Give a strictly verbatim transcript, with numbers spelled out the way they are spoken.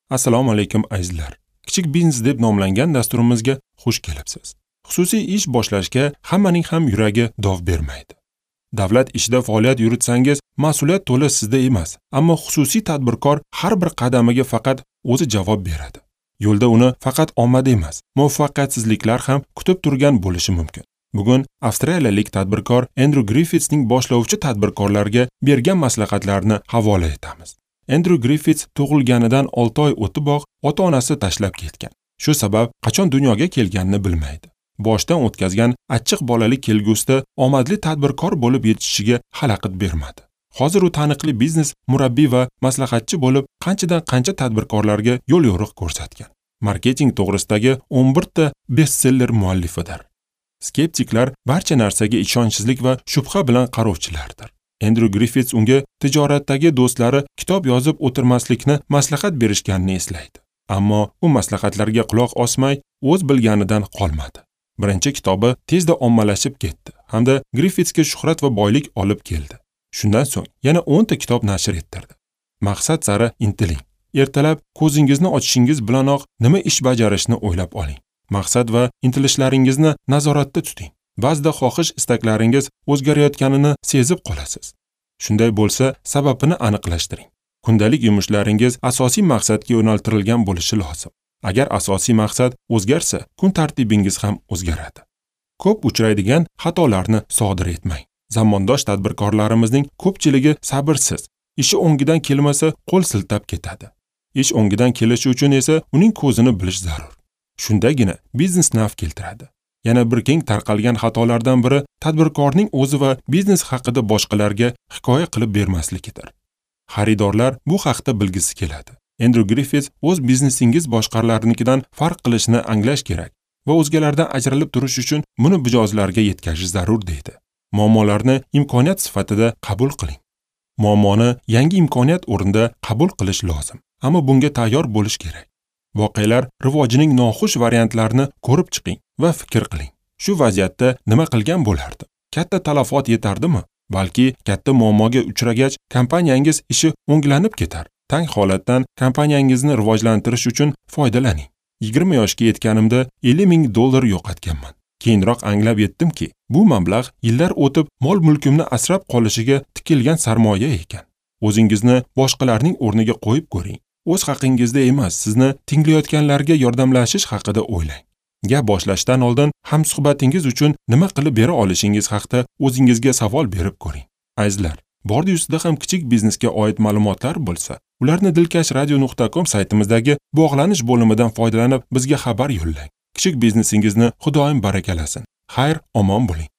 Assalomu alaykum azizlar. Kichik biznes deb nomlangan dasturimizga xush kelibsiz. Xususiy ish boshlashga hammaning ham yuragi dov bermaydi. Davlat ishida faoliyat yuritsangiz, mas'uliyat to'la sizda emas, ammo xususiy tadbirkor har bir qadamiga faqat o'zi javob beradi. Yo'lda uni faqat omad emas, muvaffaqiyatsizliklar ham kutib turgan bo'lishi mumkin. Bugun avstraliyalik tadbirkor Endryu Griffitsning boshlovchi tadbirkorlarga bergan maslahatlarini havola etamiz. Endryu Griffits tug'ilganidan olti oy o'tiboq ota-onasi tashlab ketgan. Shu sabab qachon dunyoga kelganini bilmaydi. Boshdan o'tkazgan achchiq bolalik kelgusida omadli tadbirkor bo'lib yetishishiga xalaqit bermadi. Hozir u taniqli biznes murabbiy va maslahatchi bo'lib, qanchadan qancha tadbirkorlarga yo'l-yo'riq ko'rsatgan. Marketing to'g'risidagi o'n bir ta bestseller muallifidir. Skeptiklar barcha narsaga ishonchsizlik va shubha bilan qarovchilardir. Endryu Griffits unga tijoratdagi do'stlari kitob yozib o'tirmaslikni maslahat berishganini eslaydi. Ammo u maslahatlarga quloq osmay, o'z bilganidan qolmadi. Birinchi kitobi tezda ommalashib ketdi hamda Griffitsga shuhrat va boylik olib keldi. Shundan so'ng yana o'n ta kitob nashr ettirdi. Maqsad sari intiling. Ertalab ko'zingizni ochishingiz bilanoq nima ish bajarishni o'ylab oling. Maqsad va intilishlaringizni nazoratda tuting. Ba'zida xohish istaklaringiz o'zgarayotganini sezib qolasiz. Shunday bo'lsa, sababini aniqlashtiring. Kundalik yumushlaringiz asosiy maqsadga yo'naltirilgan bo'lishi lozim. Agar asosiy maqsad o'zgarsa, kun tartibingiz ham o'zgaradi. Ko'p uchraydigan xatolarni sodir etmang. Zamondosh tadbirkorlarimizning ko'pchiligi sabrsiz. Ishi o'ngidan kelmasa, qo'l siltab ketadi. Ish o'ngidan kelishi uchun esa uning ko'zini bilish zarur. Shundagina biznes naf keltiradi. Yana bir keng tarqalgan xatolardan biri tadbirkorning o'zi va biznes haqida boshqalarga hikoya qilib bermasligidir. Xaridorlar bu haqda bilgisi keladi. Endryu Griffits o'z biznesingiz boshqalarnikidan farq qilishini anglash kerak va o'zgalardan ajralib turish uchun buni mijozlarga yetkazish zarur deydi. Muammolarni imkoniyat sifatida qabul qiling. Muammoni yangi imkoniyat o'rnida qabul qilish lozim, ammo bunga tayyor bo'lish kerak. Voqealar rivojining noxush variantlarini ko'rib chiqing va fikr qiling. Shu vaziyatda nima qilgan bo'lardi? Katta talafot yetardimi? Balki katta muammoga uchragach kompaniyangiz ishi o'nglanib ketar. Tang holatdan kompaniyangizni rivojlantirish uchun foydalaning. yigirma yoshga yetganimda ellik ming dollar yo'qotganman. Keyinroq anglab yetdimki, bu mablag' yillar o'tib mol-mulkimni asrab qolishiga tikilgan sarmoya ekan. O'zingizni boshqalarning o'rniga qo'yib ko'ring. O'z haqingizda emas, sizni tinglayotganlarga yordamlashish haqida o'ylang. Gap boshlashdan oldin hamsuhbatingiz uchun nima qilib bera olishingiz haqida o'zingizga savol berib ko'ring. Azizlar, bordi ustida ham kichik biznesga oid ma'lumotlar bo'lsa, ularni dilkash radio nuqta com saytimizdagi bog'lanish bo'limidan foydalanib bizga xabar yo'llang. Kichik biznesingizni Xudoyim barakalasin. Xayr, omon bo'ling.